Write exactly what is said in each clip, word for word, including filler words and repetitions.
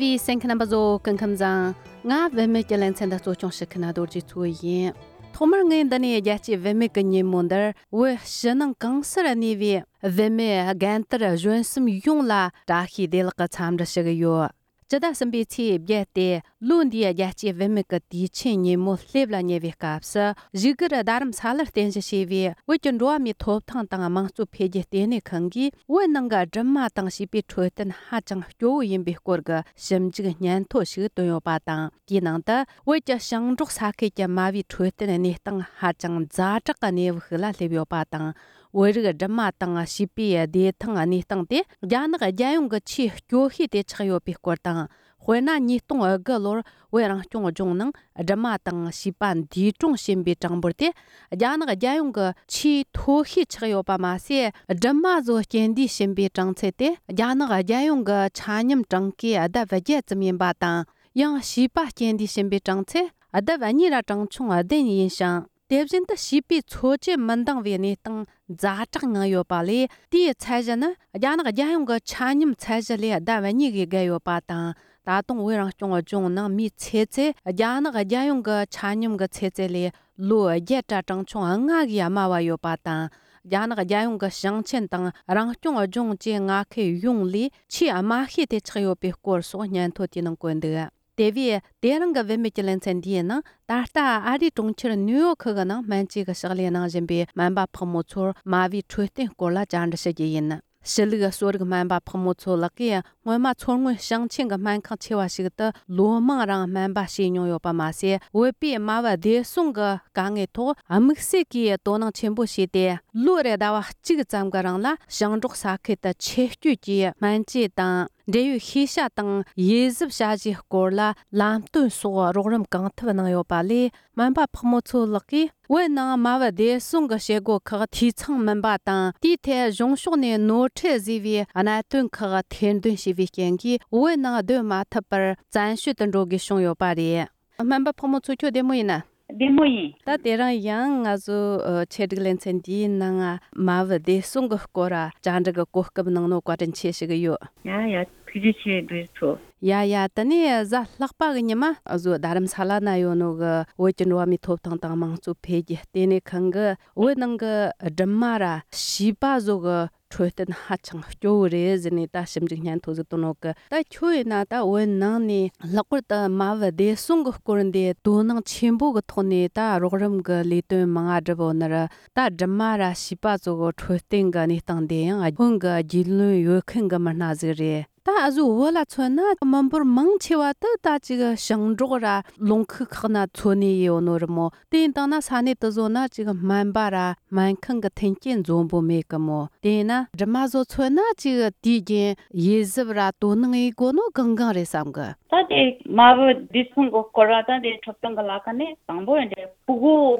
བའི་གསན་མཁན་རྣམ་པ་ཚོ་སྐུ་ཁམས་བཟང་། ང་བུད་མེད་ཀྱི་ལེ་ཚན་འདི་གཙོ་སྐྱོང་བྱེད་མཁན་རྡོ་རྗེ་མཚོ་ཡིན། ཐོག་མར་ངས་འདི་ནས་རྒྱལ་སྤྱིའི་བུད་མེད་ཀྱི་ཉིན་མོ་འདིར་བོད་ཕྱི་ནང་གང་སར་གནས་པའི་བུད་མེད་རྒན་དར་གཞོན་གསུམ་ཡོངས་ལ་བཀྲ་ཤིས་བདེ་ལེགས་ཀྱི་འཚམས་འདྲི་ཞུ་གི་ཡོད། སྤྱི་ཟླ་གསུམ་པའི་ཚེས་བརྒྱད་དེ་ལོ་འདིའི་རྒྱལ་སྤྱིའི་བུད་མེད་ཀྱི་དུས་ཆེན་ཉིན་མོ་སླེབས་ལ་ཉེ་བའི་སྐབས་སུ། བཞུགས་སྒར་རྡ་རམ་ས་ལར་རྟེན་གཞི་བྱས་པའི་བོད་ཀྱི་འགྲོ་བ་མིའི་ཐོབ་ཐང་དང་དམངས་གཙོ་འཕེལ་རྒྱས་ལྟེ་གནས་ཁང་གིས་བོད་ནང་གི་སྦྲུམ་མ་དང་བྱིས་པའི་འཕྲོད་བསྟེན་ཧ་ཅང་སྐྱོ་བོ་ཡིན་པའི་སྐོར་གྱི་ཞིབ་འཇུག་སྙན་ཐོ་ཞིག་བཏོན་ཡོད་པ་དང་། དེའི་ནང་དུ་བོད་ཀྱི་ཞིང་འབྲོག་ས་ཁུལ་གྱི་མ་བུའི་འཕྲོད་བསྟེན་གནས་སྟངས་ཧ་ཅང་ཛ་དྲག་གི་གནས་བབ་ཤིག་ལ་སླེབས་ཡོད་པ་དང་། བོད་རིགས་སྦྲུམ་མ་དང་བྱིས་པའི་བདེ་ཐང་གནས་སྟངས་དེ་རྒྱ་ནག་རྒྱལ་ཡོངས་ཀྱི་ཆེས་སྐྱོ་ཤོས་དེ་ཆགས་ཡོད་པའི་སྐོར་དང་། དཔེར་ན་ཉིས་སྟོང་དགུ་ལོར་བོད་རང་སྐྱོང་ལྗོངས་ནང་སྦྲུམ་མ་དང་བྱིས་པ་འདས་གྲོངས་ཕྱིན་པའི་གྲངས་འབོར་དེ་རྒྱ་ནག་རྒྱལ་ཡོངས་ཀྱི་ཆེས་མཐོ་ཤོས་ཆགས་ཡོད་པ་མ་ཟད། སྦྲུམ་མ་ཚོ་རྐྱེན་འདས་ཕྱིན་པའི་གྲངས་ཚད་དེ་རྒྱ་ནག་རྒྱལ་ཡོངས་ཀྱི་ཆ་སྙོམས་གྲངས་ཀའི་ལྡབ་བརྒྱད་ཙམ་ཡིན་པ་དང་། ཡང་བྱིས་པ་རྐྱེན་འདས་ཕྱིན་པའི་གྲངས་ཚད་ལྡབ་གཉིས་ར་གྲངས་ཆུང་བདུན་ཡིན་ཞིང་། དེ་བཞིན་དུ་བྱིས་པའི་འཚོ་བཅུད་མི་འདང་བའི་གནས་སྟངས་ཛ་དྲག་མྱངས་ཡོད་པ་ལས། དེའི་ཚད་གཞི་ནི་རྒྱ་ནག་རྒྱལ་ཡོངས་ཀྱི་ཆ་སྙོམས་ཚད་གཞི་ལས་ལྡབ་གཉིས་ཀྱིས་བརྒལ་ཡོད་པ་དང་། ད་དུང་བོད་རང་སྐྱོང་ལྗོངས་ནང་མིའི་ཚེ་ཚད་རྒྱ་ནག་རྒྱལ་ཡོངས་ཀྱི་ཆ་སྙོམས་ཀྱི་ཚེ་ཚད་ལས་ལོ་བརྒྱད་ར་གྲངས་ཆུང་ལྔ་གིས་དམའ་བ་ཡོད་པ་དང་། རྒྱ་ནག་རྒྱལ་ཡོངས་ཀྱི་ཞིང་ཆེན་དང་རང་སྐྱོང་ལྗོངས་བཅས་མངའ་ཁུལ་ཡོངས་ལས་ཆེས་དམའ་ཤོས་དེ་ཆགས་ཡོད་པའི་སྐོར་སོགས་སྙན་ཐོ་དེའི་ནང་བཀོད་འདུག་དེ་བས་དེ་རིང་གི་བུད་མེད་ཀྱི་ལེ་ཚན་འདིའི་ནང་། ད་ལྟ་ཨ་རིའི་གྲོང་ཁྱེར་ནིའུ་ཡོག་ཁུལ་གྱི་ནང་སྨན་བཅོས་ཀྱི་ཕྱག་ལས་གནང་བཞིན་པའི་སྨན་པ་ཕག་མོ་མཚོར་མ་བུའི་འཕྲོད་བསྟེན་སྐོར་ལ་བཅར་འདྲི་ཞུ་རྒྱུ་ཡིན། ཕྱི་ལུགས་གསོ་རིག་སྨན་པ་ཕག་མོ་མཚོ་ལགས་ཀྱིས་སྔོན་མ་མཚོ་སྔོན་ཞིང་ཆེན་གྱི་སྨན་ཁང་ཆེ་བ་ཞིག་ཏུ་ལོ་མང་རིང་སྨན་པ་བྱས་མྱོང་ཡོད་པ་མ་ཟད། བོད་པའི་མ་བུ་བདེ་སྲུང་གི་དཀའ་ངལ་ཐོག་དམིགས་བསལ་གྱིས་དོ་སྣང་ཆེན་པོ་བྱས་ཏེ། ལོ་རེ་ཟླ་བ་གཅིག་ཙམ་གྱི་རིང་ལ་ཞིང་འབྲོག་ས་ཁུལ་དུ་ཆེད་སྐྱོད་ཀྱིས་སྨན་བཅོས་དང་། འབྲེལ་ཡོད་ཤེས་བྱ་དང་དབྱེ་གཟབ་བྱ་གཞིའི་སྐོར་ལ་ལམ་སྟོན་སོགས་རོགས་རམ་གང་ཐུབ་གནང་ཡོད་པ་ལས། སྨན་པ་ཕག་མོ་མཚོ་ལགས་ཀྱིས་བོད་ནང་མ་བུ་བདེ་སྲུང་གི་བྱེད་སྒོ་ཁག་འཐུས་ཚང་མིན་པ་དང་། དེའི་ཐད་གཞུང་ཕྱོགས་ནས་ནོར་འཁྲུལ་བཟོས་པའི་གནད་དོན་ཁག་ཐེར་འདོན་བྱས་པའི་རྐྱེན་གྱིས། བོད་ནང་སྡོད་མ་ཐུབ་པར་བཙན་བྱོལ་དུ་འགྲོ་དགོས་བྱུང་ཡོད་པ་རེད། སྨན་པ་ཕག་མོ་མཚོ། ཁྱོད་བདེ་མོ་ཡིན་ན། བདེ་མོ་ཡིན། ད་དེ་རིང་ཡང་ང་ཚོ་ཨ་ཆེད་སྒྲིག་ལེ་ཚན་འདིའི་ནང་ང་མ་བུ་བདེ་སྲུང་གི་སྐོར་ལ་བཅར་འདྲི་གི་གོ་སྐབས་གནང་ནོ་བཀའ་དྲིན་ཆེ་ཞུ་གི་ཡོད། ཡ་ཡ། ཐུགས་རྗེ་ཆེ་རྡོ་རྗེ་མཚོ། ཡ་ཡ། དེ་ནས་གཟའ་ལྷག་པ་གི་ཉི་མ་ཨ་ཟོ་རྡ་རམ་ས་ལ་ན་ཡོད་ནོ་གི་བོད་ཀྱི་འགྲོ་བ་མིའི་ཐོབ་ཐང་དང་དམངས་གཙོ་འཕེལ་རྒྱས་ལྟེ་གནས་ཁང་གི་བོད་ནང་གི་སྦྲུམ་མ་ར་བྱིས་པ་ཟོ་གི་འཕྲོད་བསྟེན་ཧ་ཅང་སྐྱོ་བོ་རེད་ཟེར་ནས་ད་ཞིབ་འཇུག་སྙན་ཐོ་ཟིག་བཏོན་ནོ་གི། ད་ཁྱོད་ཡིན་ན་ད་བོད་ནང་ནས་ལྷག་པར་དུ་མ་བུ་བདེ་སྲུང་གི་སྐོར་འདི་དོ་སྣང་ཆེན་པོ་གི་ཐོག་ནས་ད་རོགས་རམ་གི་ལས་དོན་མང་ང་བསྒྲུབས་ཡོད་ནི་ར། ད་སྦྲུམ་མ་ར་བྱིས་པ་ཚོ་གི་འཕྲོད་བསྟེན་གི་གནས་སྟངས་འདི་ཡང་ཁོང་གི་རྒྱུས་ལོན་ཡོད་མཁན་གི་མི་སྣ་ཟིག་རེད། ད་ཨ་ཟོ་བོད་ལ་མཚོན་ན་མི་འབོར་མང་ཆེ་བ་དེ་ད་ཅིག་ཞིང་འབྲོག་ར་ལུང་ཁུག་ཁག་ན་འཚོ་གནས་ཡོད་ནོ་རེད་མོ། དེ་ཡིན་དང་ན་ས་གནས་དེ་ཟོ་ན་ཅིག་སྨན་པ་ར་སྨན་ཁང་གི་མཐུན་རྐྱེན་འཛོམས་པོ་མེད་གི་མོ། དེ་ཡིན་ན་སྦྲུམ་མ་ཟོ་མཚོན་ན་ཅིག་དུས་རྒྱུན་དབྱེ་གཟབ་ར་དོ་སྣང་ཡེད་དགོ་ནོ་གང་གང་རེད་བསམ་གི། ད་དེ་མ་བུ་བདེ་སྲུང་གི་སྐོར་ར་ད་དེ་འཕྲོད་བསྟེན་གི་ལ་ཁ་ནས་དང་པོ་ཡིན་དེ་ཕྲུ་གུ་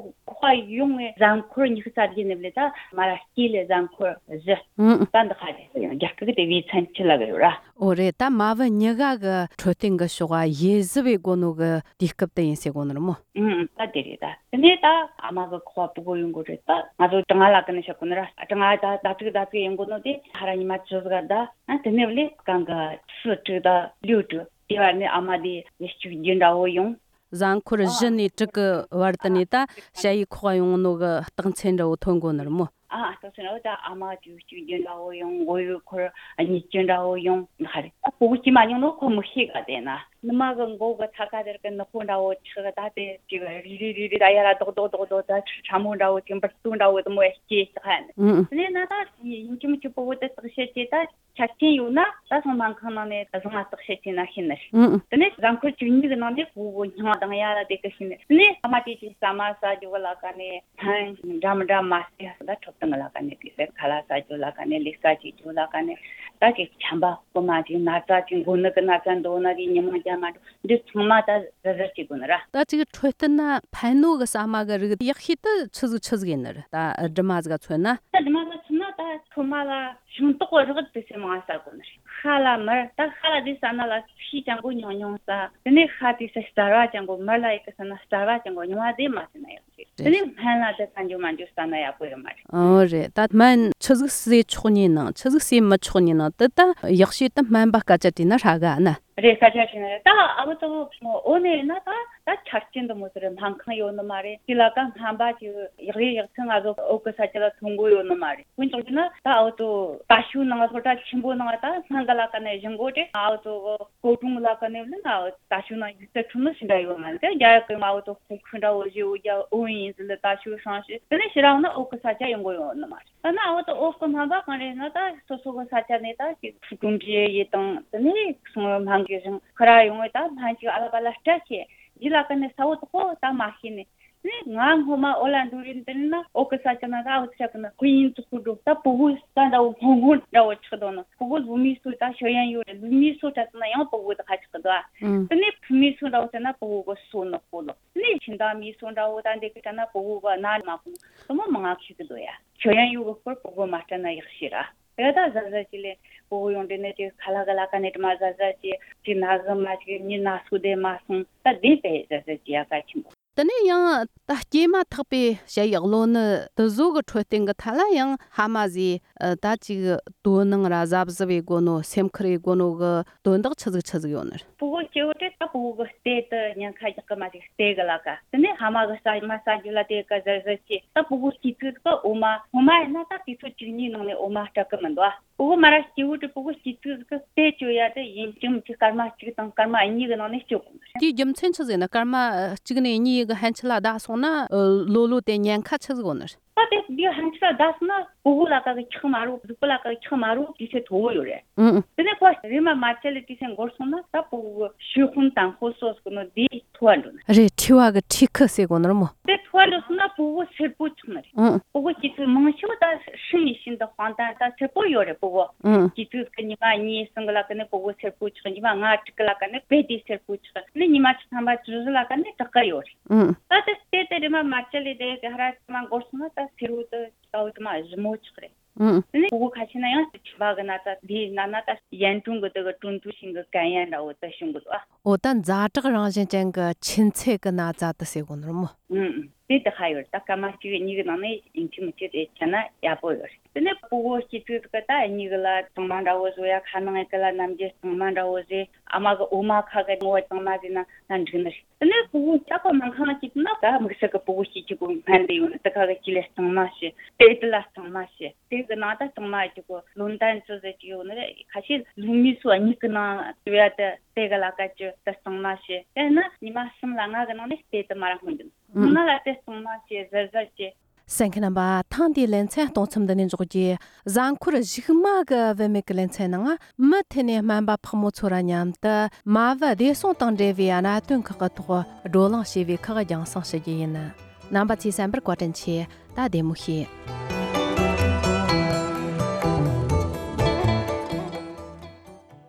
ཁོ་ཡོང་ངེ་གཟའ་འཁོར་ཉི་ཤུ་རྩ་བརྒྱད་ནས་བླས་ད་མ་ར་སྐྱེས་ལས་གཟའ་འཁོར་བཞི། ཨང་། ད་འདི་ཁ་དེ་ཡང་རྒྱ་སྐད་གི་དེ་བི་ཚན་ཆི་ལ་གི་ཡོད་ར། ཨོ་རེད། ད་མ་བུ་གཉིས་ཀ་གི་འཕྲོད་བསྟེན་གི་ཕྱོགས་ཨ་དབྱེ་གཟབ་ཡེད་དགོ་ནོ་གི་དུས་སྐབས་དེ་ཡིན་ཟེར་གོ་ནི་རེད་མོ། ཨང་། ད་དེ་རེད། ད་དེ་ནས་ད་ཨ་མ་གི་ཁོ་ཕྲུ་གུ་ཡོང་གོ་རེད། ད་ང་ཚོ་གྲང་ང་ལ་ཀི་ནས་བཤད་གོ་ནི་ར། གྲང་ང་ད་ད་ཅིག་ད་ཅིག་ཡོང་གོ་ནོ་དེ་ཧ་ར་ཉི་མ་བཅུ་ཟིག་ད། ཨ་དེ་ནས་བླས་གང་གི་སུ་དྲུག་ད་ལུས་དྲུག་དེ་བར་ནས་ཨ་མ་དེ་ལས་ཅིག་རྒྱུ་འདྲ་བོ་ཡོང་། གཟའ་འཁོར་བཞི་ནས་དྲུག་གི་བར་དུ་ནས་ད་ཞ་ཡི་ཁོག་ཡོང་ནོ་གི་རྟགས་མཚན་འདྲ་བོ་ཐོན་གོ་ནི་རེད་མོ། ཨ་ཨ་ཏོ་སེ་ན་ད་ཨ་མ་ཅིག་གཅིག་རྒྱུ་འདྲ་བོ་ཡོང་། མགོ་ཡུ་འཁོར་གཉིས་རྒྱུ་འདྲ་བོ་ཡོང་། ཧ་རེ་ད་ཕྲུ་གུ་སྐྱེས་མ་མྱོང་ནོ་ཁོ་མི་ཤེས་ག་དེ་ན། ནུ་མ་གི་མགོ་གི་ཐ་ཀ་དེར་གི་ནུ་ཁོ་འདྲ་བོ་ཆགས་ད་དེ་ཅིག་རི་རི་རི་རི་ད་ཡ་ར་རྡོག་རྡོག་རྡོག་རྡོག་ད་ཁྲ་མོ་འདྲ་བོ་ཅིག་འབུར་ཏོ་འདྲ་བོ་དེ་མོ་ཡ་སྐྱེས་ཤག་ཧ་ནི། ཨུ་ཨུ། དེ་ནས་ན་ད་ཡིན་གཅིག་མིན་གཅིག་ཕྲུ་གུ་དེ་བརྟག་དཔྱད་བྱས་ད། ཆ་རྐྱེན་ཡོད་ན་ད་སོང་སྨན་ཁང་ནང་ནས་བཟང་ང་བརྟག་དཔྱད་བྱས་ན་ཤེས་ནི་རེད། ཨང་། དེ་ནས་གཟའ་འཁོར་བཅུ་གཉིས་ཀྱི་ནང་ནས་ཕྲུ་གུ་སྙིང་ལྡང་ཡ་ལ་དེ་གི་ཤེས་ནི། དེ་ནས་ཨ་མ་དེ་ཅིག་ཟ་མ་ཟ་རྒྱུ་གི་ལ་ཀ་ནས་སྨན་འདྲ་མི་འདྲ་མ་ཟས་ད་འཕྲོད་བསྟེན་གི་ལ་ཀ་ནས་དེ་ཟས་ཁ་ལག་ཟ་རྒྱུ་ལ་ཀ་ནས་ལས་ཀ་བྱེད་རྒྱུ་ལ་ཀ་ནས་ད་ཅིག་ཆམ་པ་རྐུ་མ་ཅིག་ན་ཚ་ཅིག་མགོ་ནད་ཀྱི་ན་ཚ་འདོད་ན་དེ་ཉི་མ་རྒྱ་མ་འགྲོ་འདི་ཚང་མ་ད་གཟབ་གཟབ་བྱེད་དགོས་ནི་ར། ད་ཅིག་འཕྲོད་བསྟེན་ན་ཕན་ནོ་གི་ཟ་མ་གི་རིགས་ཡག་ཤོས་ད་ཆི་ཟིག་ཆི་ཟིག་ཡིན་ནི་རེད། ད་སྦྲུམ་མ་ཟིག་ག་མཚོན་ན། ད་སྦྲུམ་མ་ཟིག་ག་མཚོན་ན་ད་ཁོ་མ་ལ། ཤིང་ཏོག་རག་དེ་ཚོ་མང་ཟ་དགོས་ནི་རེད། ཤ་ལ་མར་ད་ཤ་ལ་དེ་ཟ་ན་ལ་ཤས་ཅན་པོ་ཉུང་ཉུང་ཟ། དེ་ནས་ཤ་དེ་ཚོ་རྩ་བ་ཅན་པོ་མར་ལ་ཡི་གེ་ཟ་ན་རྩ་བ་ཅན་པོ་ཉུང་བ་དེ་མ་ཟ་ན་ཡག་རེད། དེ་ནས་སྨན་ལ་དེ་ཟ་འཇུ་མ་འཇུ་ཟ་ན་ཡག་པོ་ཡོད་མ་རེད། ཨོ་རེད། ད་སྨན་ཆི་ཟིག་ཟས་ཆོག་ཉེ་ནང་ཆི་ཟིག་ཟས་མི་ཆོག་ཉེ་ནང་དེ་ད་ཡག་ཤོས་ད་སྨན་པ་སྐད་ཆ་དྲིས་ན་ཧྲ་ག་ན། རེད། ས་ཆ་ཞིག་ནས་ད་ཨ་བུ་ཏོ་འོ་ནས་ན་ད་ད་ཆ་རྐྱེན་དུ་མོ་ཟེར་སྨན་ཁང་ཡོད་ནི་མ་རེད། དེ་ལ་ཀ་སྨན་པ་ཅིག་ཡག་རེ་ཡག་ཚང་ང་ཚོ་འོག་གི་ས་ཆ་ལ་ཐོན་གོ་ཡོད་ནི་མ་རེད། དཔེ་འཇོག་རྒྱུ་ན་ད་ཨ་བུ་ཏོ་ད་ཤུ་ནང་སློབ་གྲྭ་ཆེན་པོ་ནང་ད་སྨན་གི་ལ་ཀ་ནས་བཞེངས་གོ་དེ་ཨ་བུ་ཏོ་གོ་ཀྲུང་ལ་ཀ་ནས་ལ་ན་ད་ཤུ་ནང་ཡིག་ཚད་ཁྲུ་ནི་ཞིག་འདྲ་ཡོད་མ་རེད། དེ་རྒྱ་ཡག་གི་ཨ་བུ་ཏོ་ཁོ་ཁུ་འདྲ་བོ་ཞེ་བོ་རྒྱ་འོ་ཡིན་ཟི་ལ་ད་ཤུ་ཧྲང་ཞེ་དེ་ནས་ཕྱི་རང་ན་འོག་གི་ས་ཆ་ཡོང་གོ་ཡོད་ནི་མ་རེད། ད་ན་འོ་ད་འོག་གི་སྨན་པ་གང་རེད་ན་ད་སོ་སོ་གི་ས་ཆ་ནས་ད་ཅིག་ཕྲུ་གུ་འབྲི་ཡི་དང་དེ་ནས་སོང་སྨན་གི་རིང་ཁ་ར་ཡོང་བས་ད་སྨན་ཅིག་ཨ་ལ་པ་ལ་སྤྲད་ཆེ་ཡི་ལ་ཀ་ནས་ས་འོ་ད་ཁོ་ད་མ་ཤེས་ནས་ནས་ང་སྔོན་མ་ཨོ་ལ་འགྲོ་རིན་དེ་ན་འོག་གི་ས་ཆ་ན་ད་འོ་ས་ཆ་གི་ན་ཁོ་ཡིན་ཙི་ཁུ་འགྲོ་ད་ཕྲུ་གུ་ས་འདྲ་བོ་སྔོན་སྔོན་འདྲ་བོ་ཆགས་དོ་ན་ཕྲུ་གུ་ལུ་མི་སུ་ད་ཤོ་ཡན་ཡོད་རེད། ལུ་མི་སུ་ད་ན་ཡང་ཕྲུ་གུ་ད་ཁ་ཆགས་གི་འདུག་ཨ། ཨང་། དེ་ནས་ཕྲུ་མི་སུ་འདྲ་བོ་ད་ན་ཕྲུ་གུ་གི་སོ་ནོ་ཁོ་ལོ། ནས་ཕྱི་ཟླ་མི་སོ་འདྲ་བོ་ད་འདི་གི་ད་ན་ཕྲུ་གུ་གི་ན་མ་ཁུང་དུ་མོ་མང་ང་ཁྱི་གི་འདུག་ཡ། ཤོ་ཡན་ཡུ་གི་སྐོར་ཕྲུ་གུ་མ་སྤྲད་ན་ཡག་ཤི་ར། དེ་ད་ཟ་ཟ་ཅི་ལས་ཕྲུ་གུ་ཡོང་དེ་ནས་ཅི་ཁ་ལག་གི་ལ་ཀ་ནས་དྲི་མ་ཟ་ཟ་ཅི་ཅི་ན་གི་མ་ཅི་མི་ན་སུ་དེ་མ་སོང་ད་དེ་པས་ཟ་ཟ་ཅི་ཡ་ཀ་ཆེན་པོ། དེ་ནས་ཡང་ད་སྐྱེས་མ་ཐག་པའི་ཞ་ཡི་གློ་ནད་དེ་ཟོ་གི་འཕྲོད་བསྟེན་གི་ཐད་ལ་ཡང་ཧ་མ་ཟི་ད་ཅིག་དོ་སྣང་ར་གཟབ་གཟབ་བྱེད་དགོ་ནོ་སེམས་ཁུར་བྱེད་དགོ་ནོ་གི་དོན་དག་ཆི་ཟིག་ཆི་ཟིག་ཡོད་ནི་རེད། ཕྲུ་གུ་སྐྱེ་བོ་དེ་ད་ཕྲུ་གུ་གི་ལྟེ་དུ་ཉེན་ཁ་རྒྱག་གི་མ་ཅིག་ལྟེ་གི་ལ་ཀ་དེ་ནས་ཧ་མ་གི་ས་མ་ས་རྒྱུ་ལ་དེ་ག་ཟེར་ཟེར་ཅི་ད་ཕྲུ་གུ་སྐྱེ་དུས་གི་འོ་མ་ཧོ་མ་ཡིན་ན་ད་དུས་ཚོད་གཅིག་གཉིས་ནང་ནས་འོ་མ་སྤྲད་གི་མི་འདུག་ཨ། ཕྲུ་གུ་མ་ར་སྐྱེ་བོ་དེ་ཕྲུ་གུ་སྐྱེ་དུས་གི་ལྟེ་བཅོ་ཡ་དེ་ཡིན་གཅིག་མིན་གཅིག་སྐར་མ་གཅིག་དང་སྐར་མ་གཉིས་གི་ནང་ནས་བཅོ་དགོས་ནི་རེད། དེའི་རྒྱུ་མཚན་ཆི་ཟིག་ནི་སྐར་མ་གཅིག་ནས་གཉིས་གི་ཕན་ཆད་ལ་བསྡད་སོང་ན་ལོ་ལོ་དེ་ཉེན་ཁ་ཆི་ཟིག་ཡོད་ནི་རེད། ད་དེ་འདི་ཕན་ཆད་ལ་བསྡད་སོང་ན་ཕྲུ་གུ་ལ་ཀ་གི་ཁྲག་མ་རུ་གཟུགས་པོ་ལ་ཀ་གི་ཁྲག་མ་རུ་དུས་ཚོད་མཐོ་བོ་ཡོད་རེད། ཨང་། དེ་ནས་ཁོ་རེམ་མ་མ་ཆད་ལ་དུས་ཚོད་འགོར་སོང་ན་ད་ཕྲུ་གུ་ཤུ་ཁུན་དང་ཧོ་སོ་སོ་ནོ་དེ་མཐོ་བ་འགྲོ་ནི་རེད། མཁྲིས་པ་གི་མཁྲིས་ཁུ་ཟེར་གོ་ནོ་རེད་མོ། དེ་མཐོ་བ་འགྲོ་སོང་ན་ཕྲུ་གུ་སེར་པོ་ཆགས་ནི་རེད། ཨང་། ཕྲུ་གུ་སྐྱེ་དུས་མང་ཆེ་བ་ད་ཧྲིན་ཡིན་ཤིན་ཏུ་དཔང་རྟགས་ད་སེར་པོ་ཡོད་རེད་ཕྲུ་གུ། ཨང་། སྐྱེ་དུས་ཀྱི་ཉི་མ་གཉིས་གསུམ་གི་ལ་ཀ་ནས་ཕྲུ་གུ་སེར་པོ་ཆགས། ཉི་མ་ལྔ་དྲུག་གི་ལ་ཀ་ནས་དཔེ་དེ་སེར་པོ་ཆགས་ནས་ཉི་མ་བཅུ་ཐམ་པ་བཅུ་བཞི་ལ་ཀ་ནས་དྲག་གི་ཡོད་རེད། ཨང་། ད་དེ་དེ་དེ་རེམ་མ་མ་ཆད་ལས་དེ་ག་ཧ་ར་ཅི་མ་འགོར་སོང་ན་ད་སེར་བོ་དེ་ཀའོ་དེ་མ་ཞིབ་མོ་ཆགས་རེད། ཨང་། དེ་ནས་ཕྲུ་གུ་ཁ་ཤས་ན་ཡང་མཁྲིས་པ་གི་ན་ཚ་དེའི་ན་ན་ད་ཡན་ཀྲུང་གི་དེ་གི་ཀྲུང་ཏུའུ་ཤིང་གི་གན་ཡན་འདྲ་བོ་དེ་བྱུང་གི་འདུག་ཨ། འོ་ད་ཛ་དྲག་རང་བཞིན་ཅན་གི་མཁྲིས་ཚད་གི་ན་ཚ་དེ་ཟེར་གོ་ནོ་རེད་མོ། ཨང་། དེ་དེ་ཧ་ཡོད་རེད། ད་སྐར་མ་གཅིག་གཉིས་གི་ནང་ནས་ཡིན་གཅིག་མིན་གཅིག་དེ་ཆ་ན་ཡག་པོ་ཡོད་རེད། དེ་ནས་ཕྲུ་གུ་སྐྱེ་དུས་གི་ད་གཉིས་གི་ལ་གཙང་མ་འདྲ་བོ་བཟོ་ཡ། ཁ་ནང་གི་ལ་ནམ་རྒྱུན་གཙང་མ་འདྲ་བོ་བཟོས། ཨ་མ་གི་འོ་མ་ཁ་གི་ངོ་བོ་གཙང་མ་བཟོས་ན་ན་འགྲིག་ནི་རེད། དེ་ནས་ཕྲུ་གུ་ཅག་པོ་སྨན་ཁང་སྐྱིད་ན་ད་དམིགས་བསལ་གྱི་ཕྲུ་གུ་སྐྱིད་ཀྱི་གོ་སྨན་དེ་ཡོད་ན་དེ་ག་གི་ཅི་ལས་གཙང་མ་བྱེད། དེ་དེ་ལ་གཙང་མ་བྱེད། དེ་གི་ནང་ད་གཙང་མ་ཅི་གོ་ལོན་ཏན་ཅི་ཟེར་གྱི་ཡོད་ནི་རེད། ཁ་ཤས་ལུག་མི་སུ་གཉིས་ཀྱི་ནང་དེ་བ་དེ་དེ་གི་ལ་ཀ་ཅི་དེ་གཙང་མ་བྱེད། དེ་ན་ཉི་མ་གསུམ་ལ་ལྔ་གི་ནང་ནས་དེ་དེ་མ་ར་སྔོན་འདུག་ཨུ། ང་ལ་དེ་གཙང་མ་བྱེད་ཟེར་ཟེར་གྱི། གསན་མཁན་རྣམ་པ། ཐེངས་འདིའི་ལེ་ཚན་གཏོང་མཚམས་འདི་ནས་འཇོག་རྒྱུ། གཟའ་འཁོར་གཞུག་མ་གི་བུད་མེད་ཀྱི་ལེ་ཚན་ནང་མུ་མཐུད་ནས་སྨན་པ་ཕག་མོ་མཚོ་ར་མཉམ་དུ་མ་བུ་བདེ་སྲུང་དང་འབྲེལ་བའི་གནད་དོན་ཁག་གི་ཐོག་བགྲོ་གླེང་བྱས་པའི་ཁག་རྒྱང་སྲིང་ཞུ་རྒྱུ་ཡིན། རྣམ་པ་ཚོས་གསན་པར་བཀའ་དྲིན་ཆེ། ད་བདེ་མོ་བྱོས།